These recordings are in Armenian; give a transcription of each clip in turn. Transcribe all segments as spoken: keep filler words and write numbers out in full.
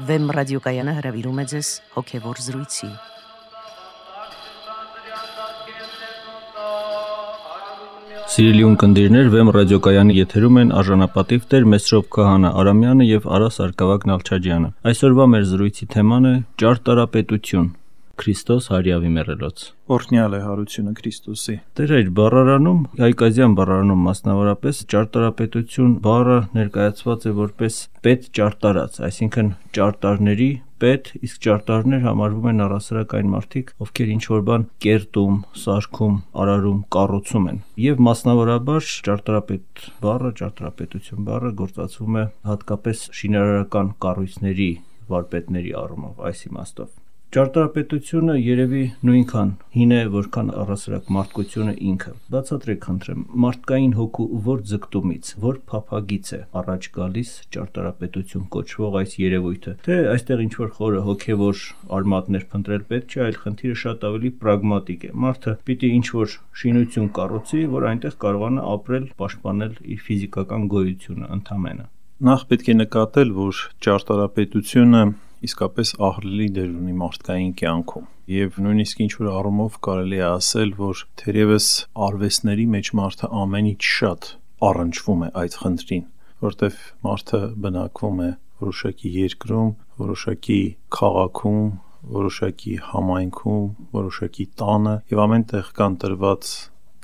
Վեմ ռադիոկայանը հրավիրում է ձեզ հոգևոր զրույցի։ Սիրելի ունկնդիրներ, Վեմ ռադիոկայանի եթերում են արժանապատիվ Տեր Մեսրոպ Քահանա Արամյանը եւ Արա Սարգսակ Նալչաջյանը։ Այսօրվա մեր զրույցի թեման է ճարտարապետություն։ Քրիստոս հարյավի մեռելոց։ Օրհնյալ է հարությունը Քրիստոսի։ Տեր այդ բառարանում, հայկազյան բառարանում մասնավորապես ճարտարապետություն բառը ներկայացված է որպես պետ ճարտարած, այսինքն ճարտարների պետ, իսկ ճարտարներ համարվում են առասարակ այն մարդիկ, ովքեր ինչ-որ բան կերտում, սարքում, արարում, կառուցում են։ Եվ մասնավորաբար ճարտարապետ բառը, ճարտարապետություն բառը գործածվում է հատկապես շինարարական կառույցների վարպետների առումով, այս իմաստով։ Ճարտարապետությունը երևի նույնքան հին է, որքան առասարակ մարդկությունը ինքը։ Բացատրեք խնդրեմ, մարդկային հոգու որ ձգտումից, որ փափագից է առաջ գալիս ճարտարապետություն կոչվող այս երևույթը, թե այստեղ ինչ-որ խորը հոգևոր արմատներ փնտրել պետք չէ, այլ խնդիրը շատ ավելի պրագմատիկ է։ Մարդը պիտի ինչ-որ շինություն կառուցի, որ այնտեղ կարողանա ապրել, պաշտպանել իր ֆիզիկական գոյությունը ընդամենը։ Նախ պետք է նկատել, որ ճարտարապետությունը իսկապես ահռելի դեր ունի մարդկային կյանքում եւ նույնիսկ ինչ-որ առումով կարելի է ասել, որ թերևս արվեստների մեջ մարդը ամենից շատ առնչվում է այդ խնդրին, որտեղ մարդը բնակվում է որոշակի երկրում, որոշակի քաղաքում, որոշակի համայնքում, որոշակի տանը եւ ամենտեղ կան տրված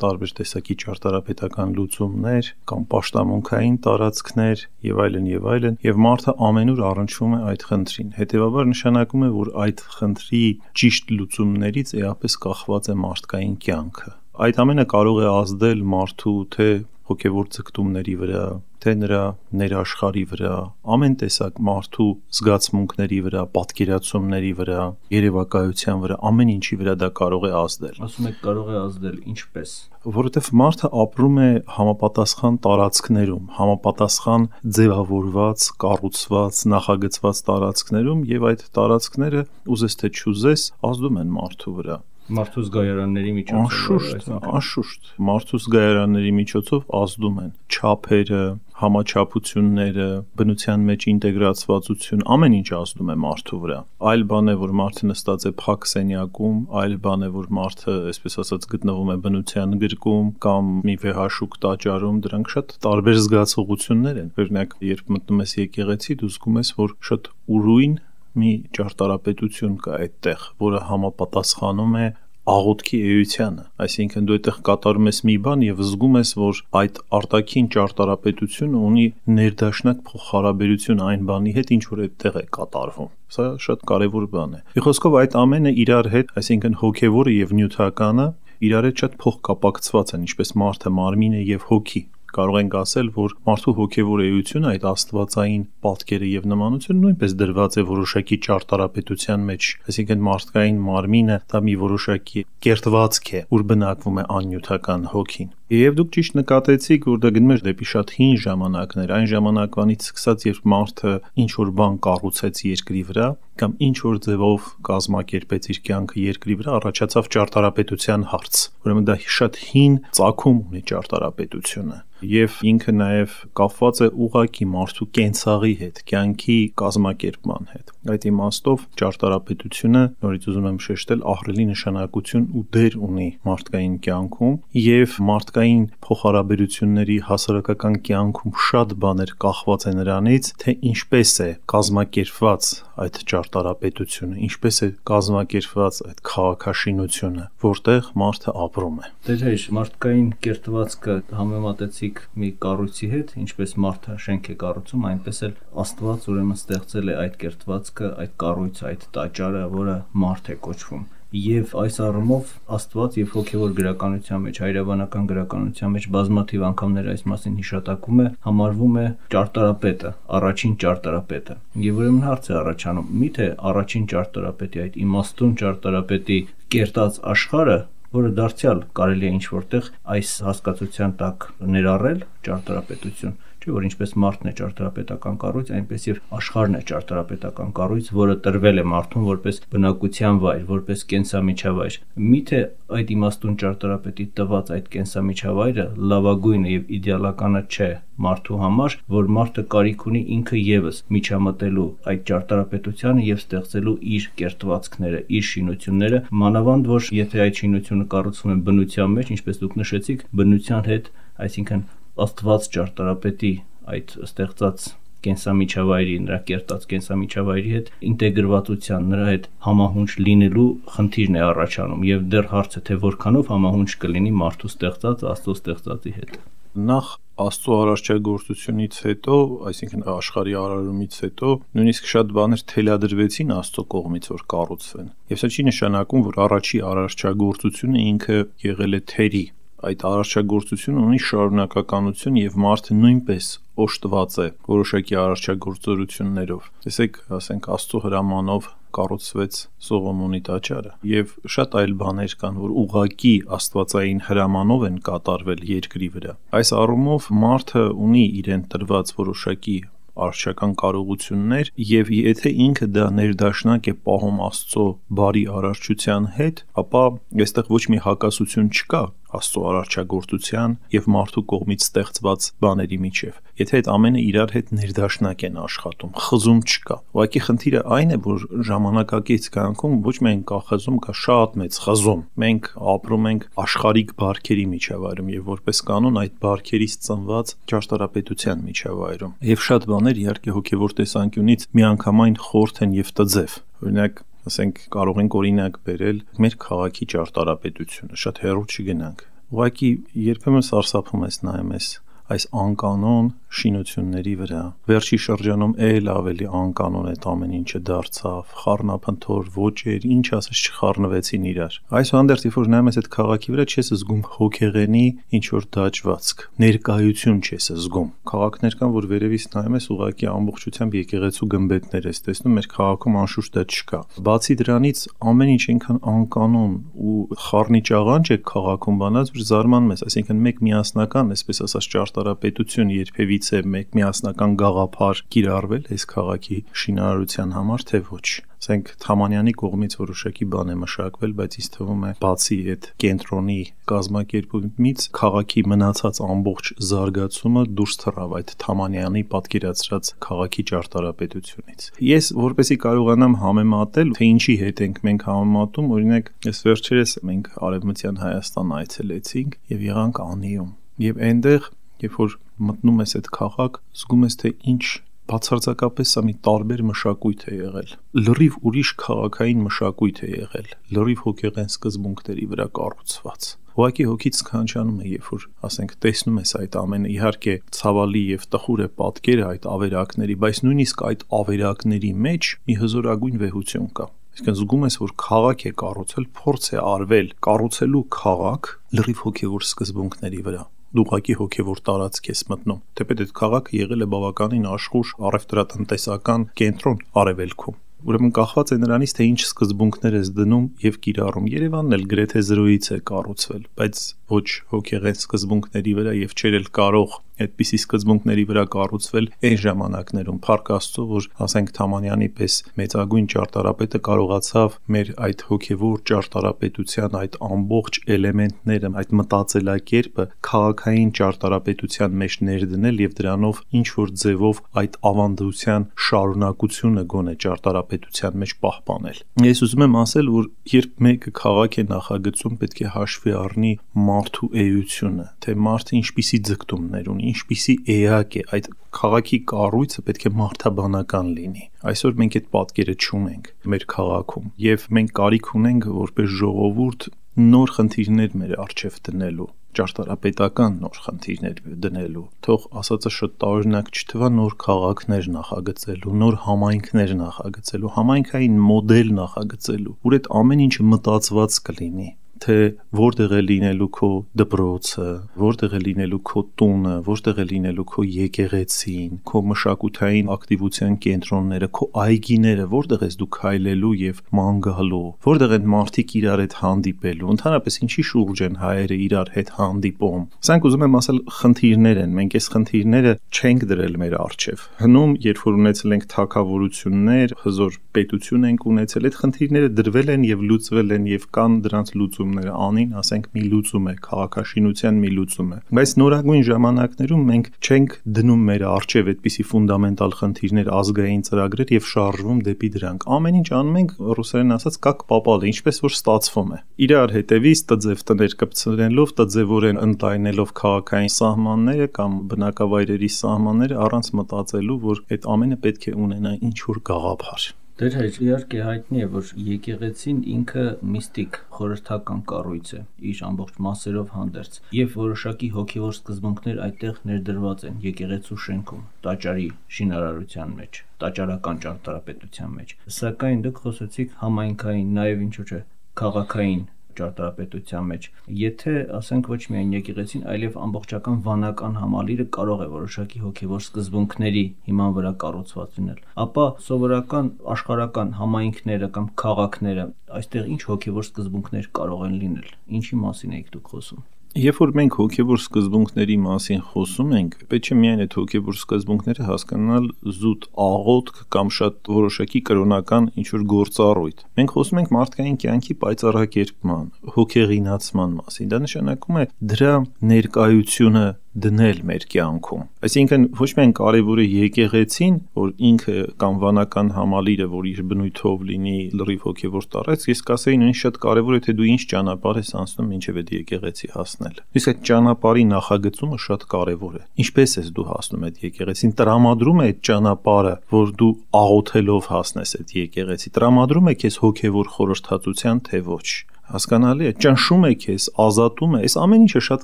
տարբեր տեսակի ճարտարապետական լուծումներ կամ պաշտամունքային տարածքներ եւ այլն եւ այլն եւ մարդը ամենուր առնչվում է այդ խնդրին։ Հետեւաբար նշանակում է, որ այդ խնդրի ճիշտ լուծումներից էապես կախված է մարդկային կյանքը։ Այդ ամենը կարող է ազդել մարդու թե հոգևոր ձգտումների վրա, թե նրա ներաշխարհի վրա, ամեն տեսակ մարդու զգացմունքների վրա, պատկերացումների վրա, երևակայության վրա, ամեն ինչի վրա դա կարող է ազդել։ Ասում եք կարող է ազդել, ինչպես։ Որովհետև մարդը ապրում է համապատասխան տարածքներում, համապատասխան ձևավորված, կառուցված, նախագծված տարածքներում եւ այդ տարածքները ուզես թե չուզես ազդում են մարդու վրա։ Մարդու զգայարանների միջոցով, անշուշտ, անշուշտ, մարդու զգայարանների միջոցով ազդում են չափերը, համաչափությունները, բնության մեջ ինտեգրացվածություն, ամեն ինչ ազդում է մարդու վրա։ Այլ բան է, որ մարդը նստած է փակ սենյակում, այլ բան է, որ մարդը, այսպես ասած, գտնվում է բնության գրկում կամ մի վեհաշուկ տաճարում, դրանք շատ տարբեր զգացողություններ են։ Օրինակ, երբ մտնում ես եկեղեցի, դու զգում ես, որ շատ ուրույն մի ճարտարապետություն կա այդտեղ, որը համապատասխանում է աղոթքի էությանը, այսինքն դու այդտեղ կատարում ես մի բան եւ զգում ես, որ այդ արտաքին ճարտարապետությունը ունի ներդաշնակ փոխհարաբերություն այն բանի հետ, ինչ որ այդտեղ է կատարվում։ Սա շատ կարեւոր բան է։ Մի խոսքով այդ ամենը իրար հետ, այսինքն հոգեվորը եւ նյութականը իրար հետ շատ փոխկապակցված են, ինչպես մարդը, մարմինը եւ հոգի։ Կարող ենք ասել, որ մարդու հոգևոր էությունը, այդ աստվածային պատկերը եւ նմանությունը նույնպես դրված է որոշակի ճարտարապետության մեջ, այսինքն մարդկային մարմինը դա մի որոշակի կերտվածք է, ուր բնակվում է աննյութական հոգին։ Եվ դուք ճիշտ նկատեցիք, որ դա գնում է դեպի շատ հին ժամանակներ, այն ժամանակվանից սկսած, երբ մարդը ինչ որ բան կառուցեց երկրի վրա կամ ինչ որ ձևով կազմակերպեց իր կյանքը երկրի վրա, առաջացավ ճարտարապետության հարց։ Ուրեմն դա շատ հին ծագում ունի ճարտարապետությունը եւ ինքը նաեւ կապված է ուղղակի մարդու կենցաղի հետ, կյանքի կազմակերպման հետ։ Այդ իմաստով ճարտարապետությունը, նորից ուզում եմ շեշտել, ահռելի նշանակություն ու դեր ունի մարդկային կյանքում եւ մարդկային փոխհարաբերությունների հասարակական կյանքում շատ բաներ կախված է նրանից, թե ինչպես է կազմակերպված այդ ճարտարապետությունը, ինչպես է կազմակերպված այդ քաղաքաշինությունը, որտեղ մարդը ապրում է։ Դեր հեշ, մարդկային կերտվածքը համեմատեցիք մի կառույցի հետ, ինչպես մարդը շենք է կառուցում, այնպես էլ Աստված ուրեմն ստեղծել է այդ կերտվածքը, այդ կառույցը, այդ տաճարը, որը մարդ է կոչվում։ Եվ այս առումով Աստված եւ հոգեվոր գրականության մեջ, հայրաբանական գրականության մեջ բազմաթիվ անգամներ այս մասին հիշատակում է, համարվում է ճարտարապետը, առաջին ճարտարապետը։ Եվ ուրեմն հարց է առաջանում, միթե առաջին ճարտարապետի, այդ իմաստուն ճարտարապետի կերտած աշխարհը, որը դարձյալ կարելի է ինչ որտեղ այս հասկացության տակ ներառել ճարտարապետություն, չէ՞ որ ինչպես մարդն է ճարտարապետական կառույց, այնպես եւ աշխարհն է ճարտարապետական կառույց, որը տրվել է մարդուն որպես բնակության վայր, որպես կենսամիջավայր։ Միթե այդ իմաստուն ճարտարապետի տված այդ կենսամիջավայրը լավագույնը եւ իդեալականը չէ մարդու համար, որ մարդը կարիք ունի ինքը եւս միջամտելու այդ ճարտարապետությանը եւ ստեղծելու իր կերտվածքները, իր շինությունները, մանավանդ որ եթե այդ շինությունը կառուցվում է բնության մեջ, ինչպես դուք նշեցիք, բնության հետ, այսինքն աստված ճարտարապետի այդ ստեղծած կենսամիջավայրի, նրա կերտած կենսամիջավայրի հետ ինտեգրվածության, նրա հետ համահունչ լինելու խնդիրն է առաջանում եւ դեռ հարցը թե որքանով համահունչ կլինի մարդու ստեղծած Աստծո ստեղծածի հետ։ Նախ Աստծո արարչագործությունից հետո, այսինքն աշխարհի արարումից հետո, նույնիսկ շատ բաներ թելադրվեցին Աստծո կողմից, որ կառուցվեն։ Եվ սա չի նշանակում, որ առաջի արարչագործությունը ինքը եղել է թերի։ Այդ արարչագործությունը ունի շարունակականություն եւ մարդը նույնպես օժտված է որոշակի արարչագործություններով։ Տեսեք, ասենք Աստծո հրամանով կառուցվեց Սողոմոնի տաճարը եւ շատ այլ բաներ կան, որ ուղակի աստվածային հրամանով են կատարվել երկրի վրա։ Այս առումով մարդը ունի իրեն տրված որոշակի արարչական կարողություններ եւ եթե ինքը դա ներդաշնակ է պահում Աստծո բարի արարչության հետ, ապա այստեղ ոչ մի հակասություն չկա Աստծո արարչագործության եւ մարդու կողմից ստեղծված բաների միջև։ Եթե այդ ամենը իրար հետ ներդաշնակ են աշխատում, խզում չկա։ Ուղղակի խնդիրը այն է, որ ժամանակակից կյանքում ոչ միայն կա խզում, կա շատ մեծ խզում։ Մենք ապրում ենք աշխարհիկ բարքերի միջավայրում եւ որպես կանոն այդ բարքերից ծնված ճարտարապետության միջավայրում։ Եվ շատ բաներ իհարկե հոգեվոր տեսանկյունից միանգամայն խորթ են եւ տձև։ Օրինակ ասենք կարող ենք օրինակ բերել մեր քաղաքի ճարտարապետությունը, շատ հեռու չգնանք։ Ուղղակի երբեմն սարսափում ես նայում ես այս անկանոն շինությունների վրա։ Վերջի շրջանում էլ ավելի անկանոն այդ ամեն ինչը դարձավ, խառնափնթոր ոճեր, ինչ ասես չխառնվեցին իրար։ Այսուհանդերձ, երբ որ նայում ես այդ քաղաքի վրա, չես զգում հոգեղենի ինչ որ դաջվածք, ներկայություն չես զգում։ Քաղաքներ կան, որ վերևից նայում ես ուղղակի ամբողջությամբ եկեղեցու գմբեթներ ես տեսնում, մեր քաղաքում անշուշտ դա չկա։ Բացի դրանից ամեն ինչ այնքան անկանոն ու խառնիճաղանջ է քաղաքում բանած, որ զարմանում ես, այսինքն մեկ միասնական, այսպես ասած, ճարտարապետություն երբևիցե մեկ միասնական գաղափար կիրառվել այս քաղաքի շինարարության համար, թե ոչ։ Ասենք Թամանյանի կողմից որոշակի բան է մշակվել, բայց ինձ թվում է բացի այդ կենտրոնի կազմակերպումից քաղաքի մնացած ամբողջ զարգացումը դուրս թռավ այդ Թամանյանի պատկերացրած քաղաքի ճարտարապետությունից։ Ես որպեսզի կարողանամ համեմատել, թե ինչի հետ ենք մենք համեմատում, օրինակ, այս վերջերս մենք Արևմտյան Հայաստան այցելեցինք եւ եղանք Անիում։ Եվ այնտեղ, երբ որ մտնում ես այդ քաղաք, զգում ես, թե ինչ բացարձակապես սա մի տարբեր մշակույթ է եղել։ Լրիվ ուրիշ քաղաքային մշակույթ է եղել, լրիվ հոգեղեն սկզբունքների վրա կառուցված։ Ուղղակի հոգից սքանչանում է, երբ որ, ասենք, տեսնում ես այդ ամենը, իհարկե ցավալի եւ տխուր է պատկերը այդ ավերակների, բայց նույնիսկ այդ ավերակների մեջ մի հզորագույն վեհություն կա։ Այսինքն զգում ես, որ քաղաք է կառուցել, փորձ է արվել կառուցելու քաղաք լրիվ հոգևոր սկզբունքների վրա։ Դու ուղղակի հոգևոր տարածք ես մտնում։ Թեպետ այդ քաղաքը եղել է բավականին աշխուժ առևտրատնտեսական կենտրոն Արևելքում։ Ուրեմն կախված է նրանից, թե ինչ սկզբունքներ ես դնում եւ կիրառում։ Երևանն էլ գրեթե զրոյից է կառուցվել, բայց ոչ հոգեղեն սկզբունքների վրա եւ չէր էլ կարող այդպիսի սկզբունքների վրա կառուցվել այն ժամանակներում։ Փառք Աստծո, որ ասենք Թամանյանի պես մեծագույն ճարտարապետը կարողացավ մեր այդ հոգևոր ճարտարապետության այդ ամբողջ էլեմենտները, այդ մտածելակերպը քաղաքային ճարտարապետության մեջ ներդնել եւ դրանով ինչ որ ձևով այդ ավանդության շարունակությունը գոնե ճարտարապետության մեջ պահպանել։ Ես ուզում եմ ասել, որ երբ մեկը քաղաք է նախագծում, պետք է հաշվի առնի մարդու էությունը, թե մարդը ինչպիսի ձգտումներ ունի, ինչպիսի էակ է, այդ քաղաքի կառույցը պետք է մարդաբանական լինի։ Այսօր մենք այդ պատկերը չունենք մեր քաղաքում եւ մենք կարիք ունենք որպես ժողովուրդ նոր խնդիրներ մեր առջև դնելու, ճարտարապետական նոր խնդիրներ դնելու, թող ասածը շատ տարօրինակ չթվա, նոր քաղաքներ նախագծելու, նոր համայնքներ նախագծելու, համայնքային մոդել նախագծելու, որ այդ ամեն ինչը մտածված կլինի։ թե որտեղ է լինելու քո դպրոցը, որտեղ է լինելու քո տունը, որտեղ է լինելու քո եկեղեցին, քո մշակութային ակտիվության կենտրոնները, քո այգիները, որտեղ ես դու քայլելու եւ ման գալու, որտեղ են մարդիկ իրար հետ հանդիպելու, ընդհանրապես ինչի շուրջ են հայերը իրար հետ հանդիպում։ Սրանք ուզում եմ ասել խնդիրներ են, մենք այս խնդիրները չենք դրել մեր առջև։ Հնում, երբ որ ունեցել ենք թագավորություններ, հզոր պետություն ենք ունեցել, այդ խնդիրները դրվել են եւ լուծվել են եւ կան դրանց լուծումները, անին, ասենք, մի լուծում է, քաղաքաշինության մի լուծում է։ Բայց նորագույն ժամանակներում մենք չենք դնում մեր առջև այդպիսի ֆունդամենտալ խնդիրներ, ազգային ծրագրեր եւ շարժվում դեպի դրանք։ Ամեն ինչ անում ենք ռուսերեն ասած կակ պապալը, ինչպես որ ստացվում է։ Իրար հետևից տձև տներ կպցնելով, տձևորեն ընդայնելով քաղաքային սահմանները կամ բնակավայրերի սահմանները առանց մտածելու, որ այդ ամենը պետք է ունենա ինչ որ գաղափար։ Դեր հայր, իհարկե հայտնի է, որ եկեղեցին ինքը միստիկ խորհրդական կառույց է, իր ամբողջ մասերով հանդերձ, եւ որոշակի հոգեվոր սկզբունքներ այդտեղ ներդրված են եկեղեցու շենքում, տաճարի շինարարության մեջ, տաճարական ճարտարապետության մեջ։ Սակայն դուք խոսեցիք համայնքային, նաեւ ինչու՞ չէ, քաղաքային ճարտարապետության մեջ։ Եթե ասենք ոչ միայն եկեղեցին, այլև ամբողջական վանական համալիրը կարող է որոշակի հոգեվոր սկզբունքների հիման վրա կառուցված լինել, ապա սովորական աշխարհական համայնքները կամ քաղաքները այստեղ ինչ հոգեվոր սկզբունքներ կարող են լինել, ինչի մասին եք դուք խոսում։ Երբ որ մենք հոգեվոր սկզբունքների մասին խոսում ենք, պետք է միայն այդ հոգեվոր սկզբունքները հասկանալ զուտ աղոթք կամ շատ որոշակի կրոնական ինչ-որ գործառույթ։ Մենք խոսում ենք մարդկային կյանքի պայծառակերպման, հոգեղինացման մասին։ Դա նշանակում է դրա ներկայությունը դնել մեր կյանքում։ Այսինքն ոչ միայն կարևոր է եկեղեցին, որ ինքը կամ վանական համալիրը, որ իր բնույթով լինի լրիվ հոգեվոր տարած, ես կասեի նույնիսկ շատ կարևոր է թե դու ինչ ճանապարհ ես անցնում մինչև այդ եկեղեցի հասնել։ Իսկ այդ ճանապարհի նախագծումը շատ կարևոր է։ Ինչպես ես դու հասնում այդ եկեղեցին, տրամադրում է այդ ճանապարհը, որ դու աղոթելով հասնես այդ եկեղեցի, տրամադրում է քեզ հոգեվոր խորհրդածության, թե ոչ։ Հասկանալի է, ճնշում է քեզ, ազատում է, այս ամեն ինչը շատ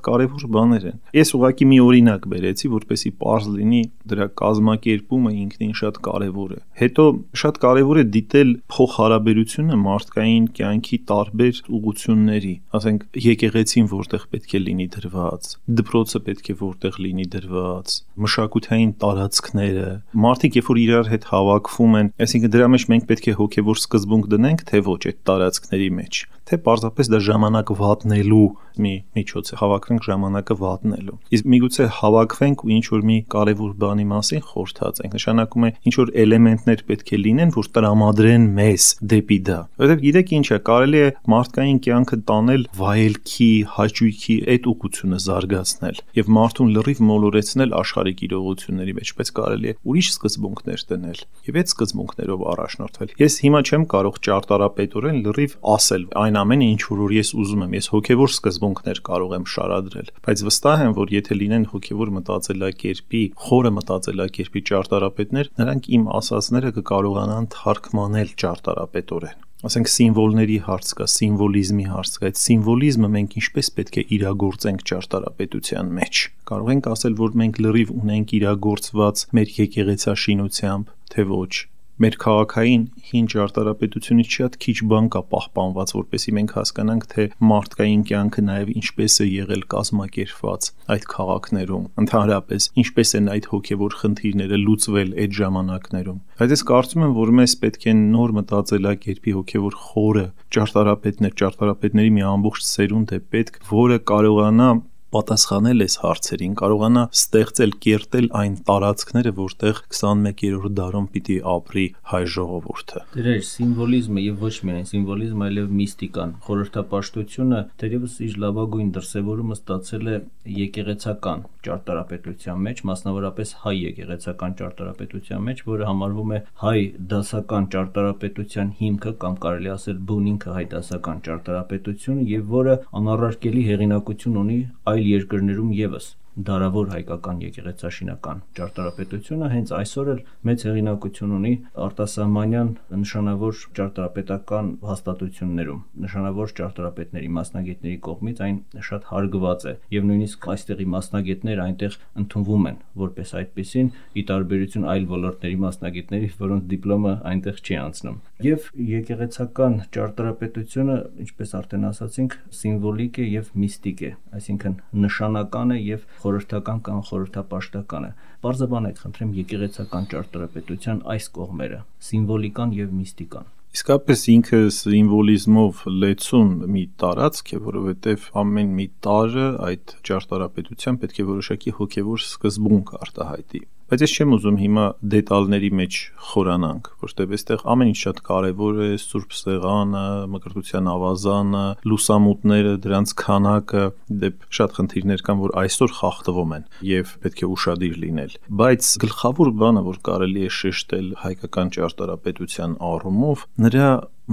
կարևոր բաներ են։ Ես ուղղակի մի օրինակ բերեցի, որպեսզի պարզ լինի դրա կազմակերպումը ինքնին շատ կարևոր է։ Հետո շատ կարևոր է դիտել փոխհարաբերությունը մարդկային կյանքի տարբեր ուղղությունների, ասենք եկեղեցին որտեղ պետք է լինի դրված, դպրոցը պետք է որտեղ լինի դրված, մշակութային տարածքները, մարդիկ երբ որ իրար հետ հավաքվում են, այսինքն դրա մեջ մենք պետք է հոգեվոր սկզբունք դնենք, թե ոչ այդ տարածքների մեջ, թե պարզապես դա ժամանակ վատնելու մի միջոց է, հավաքվենք ժամանակը վատնելու։ Իսկ միգուցե հավաքվենք ու ինչ-որ մի կարևոր բանի մասին խորհրդացենք, նշանակում է ինչ-որ էլեմենտներ պետք է լինեն, որ տրամադրեն մեզ դեպի դա։ Որովհետև գիտեք ինչ է, կարելի է մարդկային կյանքը տանել վայելքի, հաճույքի այդ ուղղությունը զարգացնել եւ մարդուն լրիվ մոլորեցնել աշխարհիկ իրողությունների մեջ, բայց կարելի է ուրիշ սկզբունքներ դնել եւ այդ սկզբունքներով առաջնորդվել։ Ես հիմա չեմ կարող ճարտարապետորեն լրիվ ասել այն ամենը, ինչ որ ես ուզում եմ, ես հոգեվոր սկզբունքներ կարող եմ շարադրել, բայց վստահ եմ, որ եթե լինեն հոգեվոր մտածելակերպի, խորը մտածելակերպի ճարտարապետներ, նրանք իմ ասածները կկարողանան թարգմանել ճարտարապետորեն։ Ասենք սիմվոլների հարց կա, սիմվոլիզմի հարց կա, այդ սիմվոլիզմը մենք ինչպես պետք է իրագործենք ճարտարապետության մեջ։ Կարող ենք ասել, որ մենք լրիվ ունենք իրագործված մեր եկեղեցաշինությամբ, թե ոչ։ Մեր քաղաքային հին ճարտարապետությունից շատ քիչ բան կա պահպանված, որպեսզի մենք հասկանանք, թե մարդկային կյանքը նաև ինչպես է եղել կազմակերպված այդ քաղաքներում, ընդհանրապես ինչպես են այդ հոգևոր խնդիրները լուծվել այդ ժամանակներում։ Բայց ես կարծում եմ, որ մեզ պետք է նոր մտածելակերպի հոգևոր խորը ճարտարապետներ, ճարտարապետների մի ամբողջ սերունդ է պետք, որը կարողանա պատասխանել այս հարցերին, կարողանա ստեղծել, կերտել այն տարածքները, որտեղ քսանմեկերորդ դարում պիտի ապրի հայ ժողովուրդը։ Դեր սիմվոլիզմը եւ ոչ միայն սիմվոլիզմը, այլև միստիկան, խորհրդապաշտությունը դերևս իր լավագույն դրսևորումը ստացել է եկեղեցական ճարտարապետության մեջ, մասնավորապես հայ եկեղեցական ճարտարապետության մեջ, որը համարվում է հայ դասական ճարտարապետության հիմքը կամ կարելի ասել բունինքը հայ դասական ճարտարապետություն եւ որը անառարկելի հեղինակություն ունի այլ երկրներում եւս։ դարավոր հայկական եկեղեցաշինական ճարտարապետությունը հենց այսօր էլ մեծ հեղինակություն ունի արտասահմանյան նշանավոր ճարտարապետական հաստատություններում, նշանավոր ճարտարապետների, մասնագետների կողմից այն շատ հարգված է եւ նույնիսկ այստեղի մասնագետներ այնտեղ ընդունվում են որպես այդպեսին, ի տարբերություն այլ ոլորտների մասնագետների, որոնց դիպլոմը այնտեղ չի անցնում։ Եվ եկեղեցական ճարտարապետությունը, ինչպես արդեն ասացինք, սիմվոլիկ է եւ միստիկ է, այսինքն նշանական է եւ խորհրդական կամ խորհրդապաշտական է։ Պարզաբանեք, խնդրեմ, եկեղեցական ճարտարապետության այս կողմերը՝ սիմվոլիկան եւ միստիկան։ Իսկապես ինքը սիմվոլիզմով լեցուն մի տարածք է, որովհետև ամեն մի տարը այդ ճարտարապետության պետք է որոշակի հոգևոր սկզբունք արտահայտի։ Բայց ես չեմ ուզում հիմա դետալների մեջ խորանանք, որտեղ այստեղ ամեն ինչ շատ կարևոր է, Սուրբ Սեղանը, Մկրտության ավազանը, լուսամուտները, դրանց քանակը, դեպ շատ խնդիրներ կան, որ այսօր խախտվում են եւ պետք է ուշադիր լինել։ Բայց գլխավոր բանը, որ կարելի է շեշտել հայկական ճարտարապետության առումով, նրա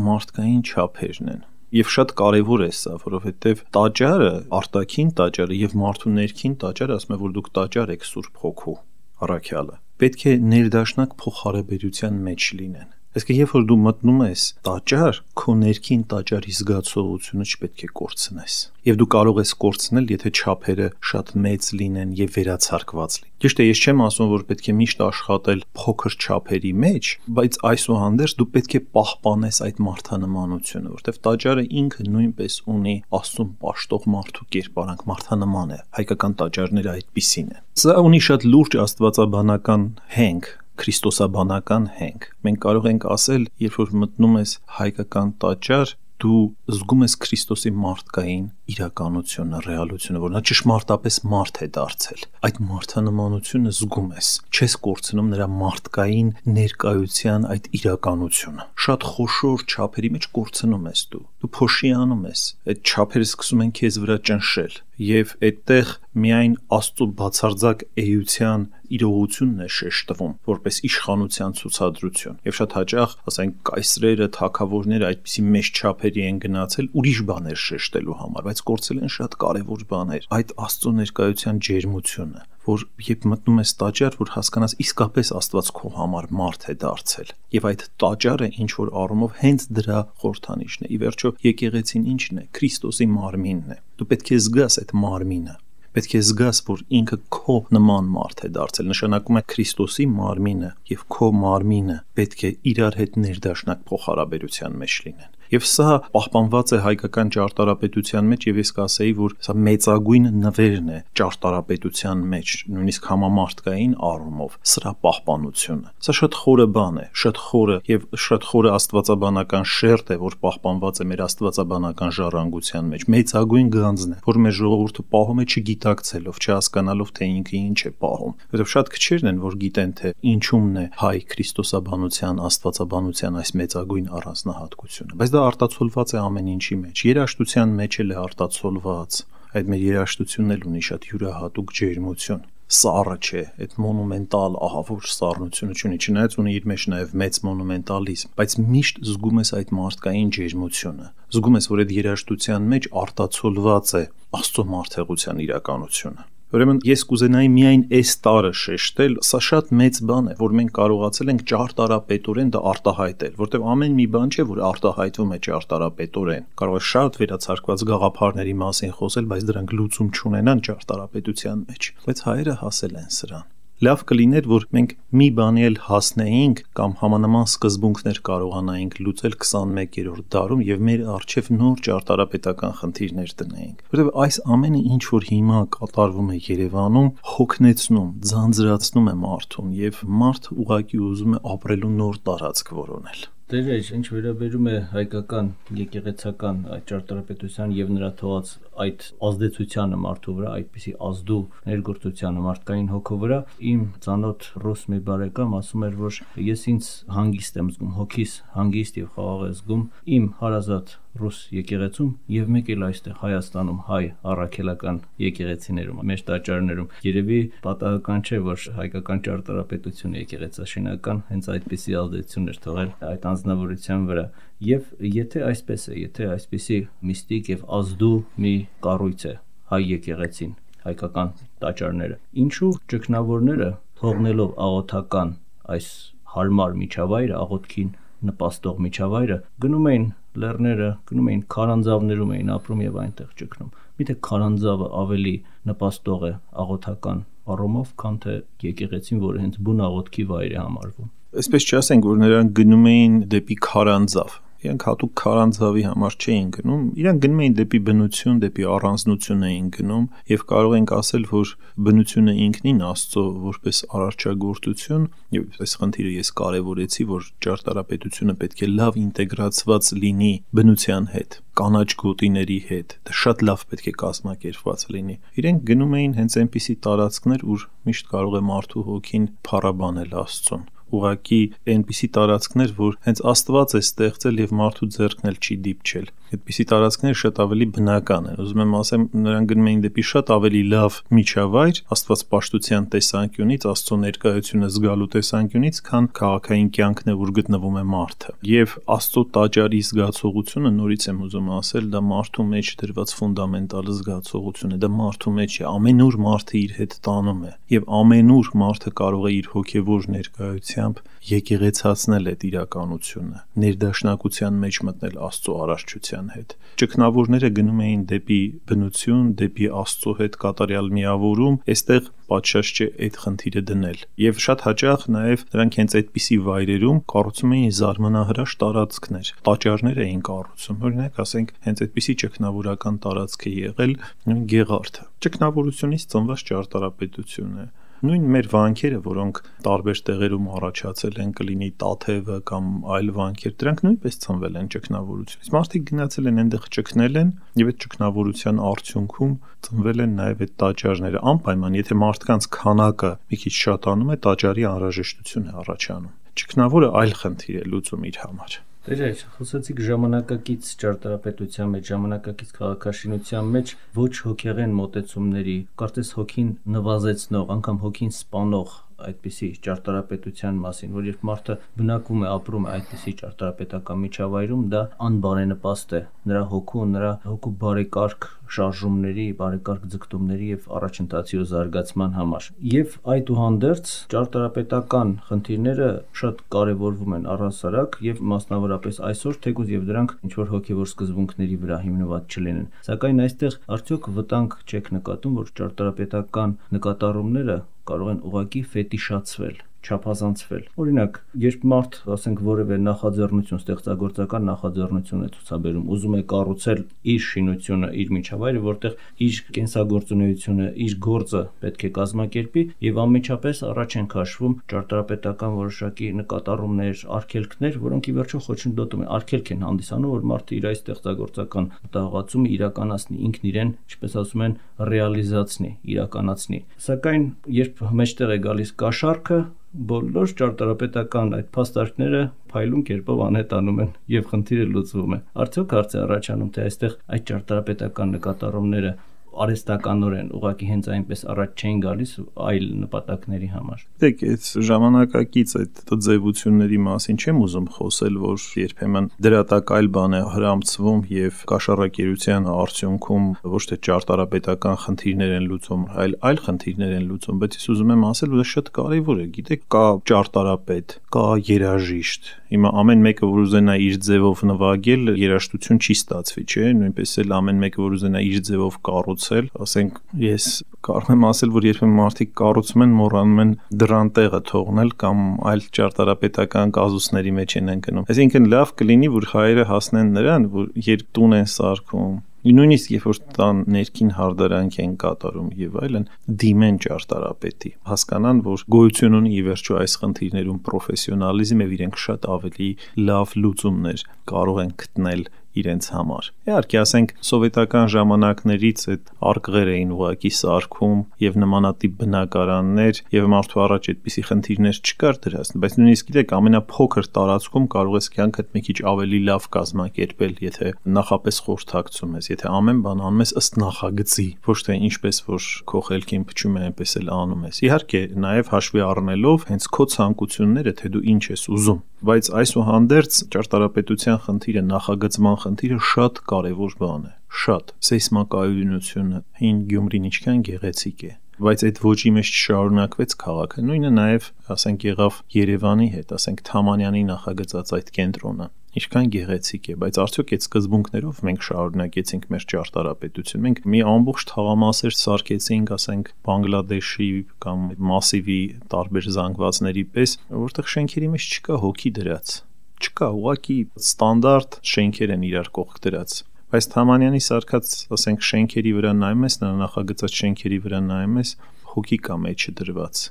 մարդկային չափերն են։ Եվ շատ կարևոր է սա, որովհետև տաճարը, արտաքին տաճարը եւ մարդու ներքին տաճարը, ասում է, որ դուք տաճար եք Սուրբ Հոգու առաքյալը, պետք է ներդաշնակ փոխհարաբերության մեջ լինեն։ Այսինքն, երբ որ դու մտնում ես տաճար, քո ներքին տաճարի զգացողությունը չպետք է կորցնես։ Եվ դու կարող ես կորցնել, եթե չափերը շատ մեծ լինեն եւ վերացարկված լինեն։ Ճիշտ է, ես չեմ ասում, որ պետք է միշտ աշխատել փոքր չափերի մեջ, բայց այսուհանդերձ դու պետք է պահպանես այդ մարդանմանությունը, որտեղ տաճարը ինքը նույնպես ունի Աստծուն պաշտող մարդու կերպարանք, մարդանման է։ Հայկական տաճարները այդպիսին են։ Սա ունի շատ լուրջ աստվածաբանական հենք, քրիստոսաբանական հենք։ Մենք կարող ենք ասել, երբ որ մտնում ես հայկական տաճար, դու զգում ես Քրիստոսի մարդկային իրականությունը, ռեալությունը, որ նա ճշմարտապես մարդ է դարձել։ Այդ մարդանմանությունը զգում ես, չես կորցնում նրա մարդկային ներկայության այդ իրականությունը։ Շատ խոշոր չափերի մեջ կորցնում ես դու։ Դու փոշիանում ես, այդ չափերը սկսում են քեզ վրա ճնշել, եւ այդտեղ միայն Աստծո բացարձակ էության իրողությունն է շեշտվում, որպես իշխանության ցուցադրություն։ Եվ շատ հաճախ, ասենք, կայսրերը, թագավորները այդպիսի մեծ չափերի են գնացել ուրիշ բաներ շեշտելու համար, բայց կորցել են շատ կարևոր բաներ։ Այդ Աստծո ներկայության ջերմությունը, որ երբ մտնում ես տաճար, որ հասկանաս իսկապես Աստված քո համար մարդ է դարձել։ Եվ այդ տաճարը ինչ որ առումով հենց դրա խորհրդանիշն է։ Ի վերջո, եկեղեցին ինչն է? Քրիստոսի մարմինն է։ Դու պետք է զգաս այդ մարմինը։ Պետք է զգաս, որ ինքը քո նման մարդ է դարձել, նշանակում է Քրիստոսի մարմինը եւ քո մարմինը պետք է իրար հետ ներդաշնակ փոխհարաբերության մեջ լինեն։ Եվ սա պահպանված է հայկական ճարտարապետության մեջ, եւ ես կասեի, որ սա մեծագույն նվերն է ճարտարապետության մեջ, նույնիսկ համամարտկային առումով, սրա պահպանությունը։ Սա շատ խորը բան է, շատ խորը եւ շատ խորը աստվածաբանական շերտ է, որ պահպանված է մեր աստվածաբանական ժառանգության մեջ։ Մեծագույն գանձն է, որ մեր ժողովուրդը պահում է չգիտակցելով, չհասկանալով, թե ինքը ինչ է պահում։ Որովհետեւ շատ քչերն են, որ գիտեն, թե ինչումն է հայ քրիստոսաբանության, աստվածաբանության այս մեծագույն առանձնահատկությունը։ Բայց դա արտացոլված է ամեն ինչի մեջ, երաժշտության մեջ էլ է արտացոլված, այդ մեր երաժշտությունն էլ ունի շատ յուրահատուկ ջերմություն, սառը չէ, այդ մոնումենտալ ահավոր սառնությունը չունի, չնայած ունի իր մեջ նաև մեծ մոնումենտալիզմ, բայց միշտ զգում ես այդ մարդկային ջերմությունը, զգում ես, որ այդ երաժշտության մեջ արտացոլված է Աստծո մարդեղության իրականությունը։ Ուրեմն ես կուզենայի միայն այս տարը շեշտել, սա շատ մեծ բան է, որ մենք կարողացել ենք ճարտարապետորեն դա արտահայտել, որտեղ ամեն մի բան չէ, որ արտահայտվում է ճարտարապետորեն։ Կարող է շատ վերացարկված գաղափարների մասին խոսել, բայց դրանք լուծում չունենան ճարտարապետության մեջ, բայց հայերը հասել են սրան։ Լավ կլիներ, որ մենք մի բանի էլ հասնեինք կամ համանման սկզբունքներ կարողանայինք լուծել քսանմեկերորդ դարում եւ մեր առջեւ նոր ճարտարապետական խնդիրներ դնեինք։ Որտեղ այս ամենը ինչ որ հիմա կատարվում է Երևանում, հոգնեցնում, ձանձրացնում է մարդուն եւ մարդ ուղղակի ուզում է ապրելու նոր տարածք որոնել։ Դերեջ, ինչ վերաբերում է հայկական եկեղեցական այդ ճարտարապետության եւ նրա թողած այդ ազդեցությանը մարդու վրա, այդպիսի ազդու ներգործությանը մարդկային հոգու վրա, իմ ծանոթ ռուս մի բարեկամ ասում էր, որ ես ինձ հանգիստ եմ զգում, հոգիս հանգիստ եւ խաղաղ եմ զգում իմ հարազատ ռուս եկեղեցում եւ մեկ էլ այստեղ Հայաստանում հայ առաքելական եկեղեցիներում, մեր տաճարներում։ Երևի պատահական չէ, որ հայկական ճարտարապետությունը եկեղեցաշինական հենց այդպիսի ազդեցություն էր թողել այդ անձնավորության վրա։ Եվ եթե այսպես է, եթե այսպիսի միստիկ եւ ազդու մի կառույց է հայ եկեղեցին, հայկական տաճարները։ Ինչու ճգնավորները թողնելով աղոթական այս հարմար միջավայրը, աղոթքին նպաստող միջավայրը, գնում էին լեռները, գնում էին քարանձավներում էին ապրում եւ այնտեղ ճգնում։ Միթե քարանձավը ավելի նպաստող է աղոթական առումով, քան թե եկեղեցին, որը հենց բուն աղոթքի վայր է համարվում։ Այսպես չասենք, որ նրանք գնում էին դեպի քարանձավ։ Իրանք հատուկ քարանձավի համար չէին գնում, իրանք գնում էին դեպի բնություն, դեպի առանձնություն էին գնում եւ կարող ենք ասել, որ բնությունը ինքնին Աստծո որպես արարչագործություն, եւ այս խնդիրը ես կարեւորեցի, որ ճարտարապետությունը պետք է լավ ինտեգրացված լինի բնության հետ, կանաչ գոտիների հետ, դա շատ լավ պետք է կազմակերպված լինի։ Իրենք գնում էին հենց այնպիսի տարածքներ, ուր միշտ կարող է մարդու հոգին փառաբանել Աստծուն։ Ուղղակի այնպիսի տարածքներ, որ հենց Աստված է ստեղծել եւ մարդու ձեռքն էլ չի դիպչել։ Այդպիսի տարածքները շատ ավելի բնական են։ Ուզում եմ ասեմ, նրանք գնում էին դեպի շատ ավելի լավ միջավայր, Աստված պաշտության տեսանկյունից, Աստծո ներկայությունը զգալու տեսանկյունից, քան քաղաքային կյանքն է, որ գտնվում է մարդը։ Եվ Աստծո տաճարի զգացողությունը, նորից եմ ուզում ասել, դա մարդու մեջ դրված ֆունդամենտալ զգացողություն է, դա մարդու մեջ է, ամենուր մարդը իր հետ տանում է, եւ ամենուր մարդը կարող է իր հոգեվոր ներկայությամբ եկեղեցացնել այդ իրականությունը, ներդաշնակության մեջ մտնել Աստծո արարչության հետ։ Ճգնավորները գնում էին դեպի բնություն, դեպի Աստծո հետ կատարյալ միավորում, այստեղ պատշաճ չէ այդ խնդիրը դնել։ Եվ շատ հաճախ նաև նրանք հենց այդպիսի վայրերում կառուցում էին զարմանահրաշ տարածքներ, տաճարներ էին կառուցում։ Օրինակ, ասենք, հենց այդպիսի ճգնավորական տարածք է եղել նույն Գեղարդը։ Ճգնավորությունից ծնված ճարտարապետություն է։ Նույն մեր վանքերը, որոնք տարբեր տեղերում առաջացել են, կլինի Տաթևը կամ այլ վանքեր, դրանք նույնպես ծնվել են ճգնավորությունից։ Մարդիկ գնացել են այնտեղ ճգնել են, եւ այդ ճգնավորության արդյունքում ծնվել են նաեւ այդ տաճարները։ Անպայման, եթե մարդկանց քանակը մի քիչ շատանում է, տաճարի անհրաժեշտություն է առաջանում։ Ճգնավորը այլ խնդիր է լուծում իր համար։ Դե խոսեցիք ժամանակակից ճարտարապետության մեջ, ժամանակակից քաղաքաշինության մեջ ոչ հոգեղեն մոտեցումների, կարծես հոգին նվազեցնող, անգամ հոգին սպանող այդպիսի ճարտարապետության մասին, որ երբ մարդը բնակվում է, ապրում է այդպիսի ճարտարապետական միջավայրում, դա անբարենպաստ է նրա հոգու, նրա հոգու բարեկարգ շարժումների, բարեկարգ ձգտումների եւ առաջընթացի ու զարգացման համար։ Եվ այդուհանդերձ ճարտարապետական խնդիրները շատ կարեւորվում են առհասարակ եւ մասնավորապես այսօր, թեկուզ եւ դրանք ինչ որ հոգեվոր սկզբունքների վրա հիմնված չլինեն։ Սակայն այստեղ արդյոք վտանգ չեք նկատում, որ ճարտարապետական նկատառումները կարող են ուղղակի ֆետիշացվել, չափազանցվել։ Օրինակ, երբ մարդ, ասենք, որևէ նախաձեռնություն, ստեղծագործական նախաձեռնություն է ցուցաբերում, ուզում է կառուցել իր շինությունը, իր միջավայրը, որտեղ իր կենսագործունեությունը, իր գործը պետք է կազմակերպի, եւ անմիջապես առաջ են քաշվում ճարտարապետական որոշակի նկատառումներ, արգելքներ, որոնք ի վերջո խոչընդոտում են, արգելք են հանդիսանում, որ մարդը իր այս ստեղծագործական մտահղացումը իրականացնի, ինքն իրեն, ինչպես ասում են, ռեալիզացնի, իրականացնի։ Սակայն երբ մեջտեղ է գալիս կաշառքը, բոլոր ճարտարապետական այդ փաստարկները փայլուն կերպով անհետանում են եւ խնդիրը լուծվում է։ Արդյոք հարց է առաջանում, թե այստեղ այդ ճարտարապետական նկատառումները արհեստականորեն ուղղակի հենց այնպես առաջ չէին գալիս այլ նպատակների համար։ Դեք, այդ ժամանակակից այդ ձևությունների մասին չեմ ուզում խոսել, որ երբեմն դրատակ այլ բան է հրամցվում եւ կաշառակերության արդյունքում ոչ թե ճարտարապետական խնդիրներ են լուծում, այլ այլ խնդիրներ են լուծում, բայց ես ուզում եմ ասել, որ դա շատ կարեւոր է, գիտեք, կա ճարտարապետ, կա երաժիշտ։ Հիմա ամեն մեկը, որ ուզենա իր ձևով նվագել, երաժշտություն չի ստացվի, չէ՞։ Նույնպես էլ ամեն մեկը, որ ուզենա իր ձևով կառուցել, ասենք, ես կարող եմ ասել, որ երբեմն մարդիկ կառուցում են, մոռանում են դրան տեղը թողնել կամ այլ ճարտարապետական կազուսների մեջ են ընկնում։ Այսինքն լավ կլինի, որ հայերը հասնեն նրան, որ երբ տուն են սարքում, նույնիսկ երբ որ տան ներքին հարդարանք են կատարում եւ այլն, դիմեն ճարտարապետի, հասկանան, որ գոյություն ունի ի վերջո այս խնդիրներում պրոֆեսիոնալիզմ եւ իրենք շատ ավելի լավ լուծումներ կարող են գտնել իրենց համար։ Իհարկե, ասենք, սովետական ժամանակներից այդ արկղեր էին ուղակի սարքում եւ նմանատիպ բնակարաններ եւ մարդու առաջ այդպիսի խնդիրներ չկար դրած, բայց նույնիսկ գիտեք, ամենափոքր տարածքում կարող ես կյանքդ մի քիչ ավելի լավ կազմակերպել, եթե նախապես խորհրդակցում ես, եթե ամեն բան անում ես ըստ նախագծի, ոչ թե ինչպես որ քո խելքին փչում է, այնպես էլ անում ես։ Իհարկե, նաեւ հաշվի առնելով հենց քո ցանկությունները, թե դու ինչ ես ուզում, բայց այսուհանդերձ ճարտարապետության խնդիրը նախագծման խնդիրը շատ կարևոր բան է, շատ։ Սեյսմակայունությունը հին Գյումրին ինչքան գեղեցիկ է, բայց այդ ոճի մեջ չշարունակվեց քաղաքը։ Նույնը նաև, ասենք, եղավ Երևանի հետ, ասենք Թամանյանի նախագծած այդ կենտրոնը։ Ինչքան գեղեցիկ է, բայց արդյոք այդ սկզբունքներով մենք շարունակեցինք մեր ճարտարապետություն։ Մենք մի ամբողջ թաղամասեր սարքեցինք, ասենք, Բանգլադեշի կամ Մասիվի տարբեր զանգվածների պես, որտեղ շենքերի մեջ չկա հոգի դրած։ Չկա, ուղղակի ստանդարտ շենքեր են իրար կողք դրած։ Բայց Թամանյանի սարքած, ասենք, շենքերի վրա նայում ես, նա նախագծած շենքերի վրա նայում ես, հոգի կա մեջը դրված։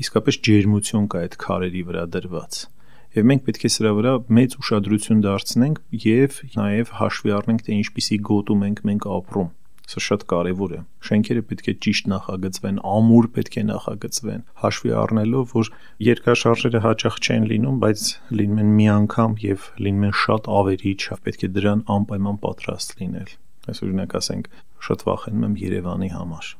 Իսկապես ջերմություն կա այդ քարերի վրա դրված։ Եվ մենք պետք է սրա վրա մեծ ուշադրություն դարձնենք եւ նաեւ հաշվի առնենք, թե ինչպիսի գոտում ենք մենք ապրում։ Սա շատ կարեւոր է։ Շենքերը պետք է ճիշտ նախագծվեն, ամուր պետք է նախագծվեն, հաշվի առնելով, որ երկրաշարժերը հաճախ չեն լինում, բայց լինում են մի անգամ եւ լինում են շատ ավերիչ, պետք է դրան անպայման պատրաստ լինել։ Այս օրինակ ասենք, շատ վախենում եմ Երևանի համար։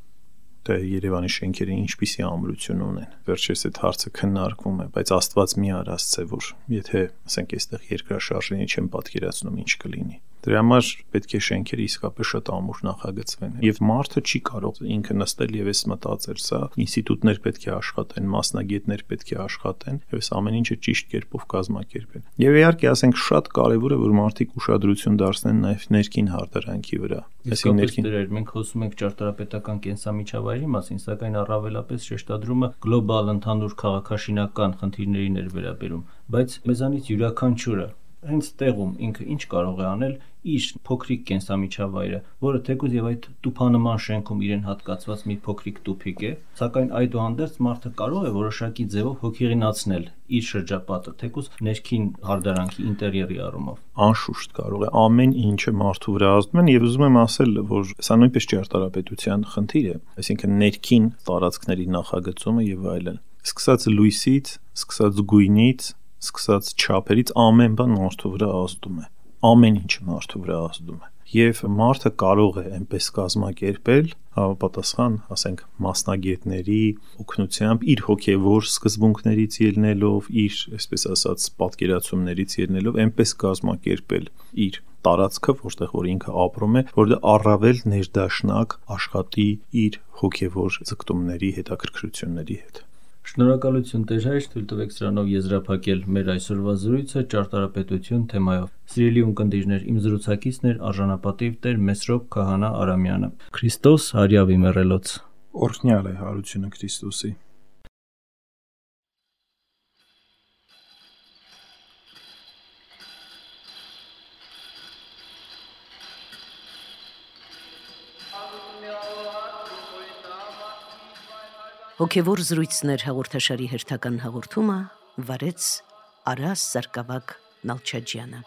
Թե Երևանի շենքերը ինչպիսի ամրություն ունեն։ Վերջերս այդ հարցը քննարկվում է, բայց Աստված մի արածցե, որ եթե, ասենք, այստեղ երկրաշարժին չեմ պատկերացնում ինչ կլինի։ Դրա համար պետք է շենքերը իսկապես շատ ամուր նախագծվեն։ Եվ մարդը չի կարող ինքը նստել եւ էս մտածել, սա ինստիտուտներ պետք է աշխատեն, մասնագետներ պետք է աշխատեն, եւ այս ամեն ինչը ճիշտ կերպով կազմակերպեն։ Եվ իհարկե, ասենք, շատ կարեւոր է, որ մարդիկ ուշադրություն դարձնեն նաեւ ներքին հարդարանքի վրա։ Այսինքն ներքին դերեր մենք խոսում ենք ճարտարապետական կենսամիջավայրի մասին, սակայն առավելապես շեշտադրումը գլոբալ ընդհանուր քաղաքաշինական խնդիրներին էր վերաբերում, բայց մեզանից յուրաքանչյուրը հենց տեղում ինքը ինչ կարող է անել իր փոքրիկ կենսամիջավայրը, որը թեկուզ եւ այդ տուփանման շենքում իրեն հատկացված մի փոքրիկ տուփիկ է, սակայն այդուհանդերձ մարդը կարող է որոշակի ձևով հոգեղինացնել իր շրջապատը, թեկուզ ներքին հարդարանքի ինտերիերի առումով։ Անշուշտ կարող է, ամեն ինչը մարդու վրա ազդում են եւ ուզում եմ ասել, որ սա նույնպես ճարտարապետության խնդիր է, այսինքն ներքին տարածքների նախագծումը եւ այլն։ Սկսած լույսից, սկսած գույնից, սկսած չափերից ամեն բան մարդու վրա ազդում է, ամեն ինչը մարդու վրա ազդում է, եւ մարդը կարող է այնպես կազմակերպել, համապատասխան, ասենք, մասնագետների օգնությամբ, իր հոգեվոր սկզբունքներից ելնելով, իր, այսպես ասած, պատկերացումներից ելնելով, այնպես կազմակերպել իր տարածքը, որտեղ որ ինքը ապրում է, որ դա առավել ներդաշնակ աշխատի իր հոգեվոր ձգտումների, հետաքրքրությունների հետ։ Շնորհակալություն Տեր հայր, թույլ տվեք սրանով եզրափակել մեր այսօրվա զրույցը ճարտարապետություն թեմայով։ Սիրելի ունկնդիրներ, իմ զրուցակիցն էր արժանապատիվ Տեր Մեսրոպ Քահանա Արամյանը։ Քրիստոս հարյավի մեռելոց։ Օրհնյալ է հարությունը Քրիստոսի։ Հոգևոր զրույցներ հաղորդաշարի հերթական հաղորդումը վարեց Արաս Սարգսակ Նալչաջյանը։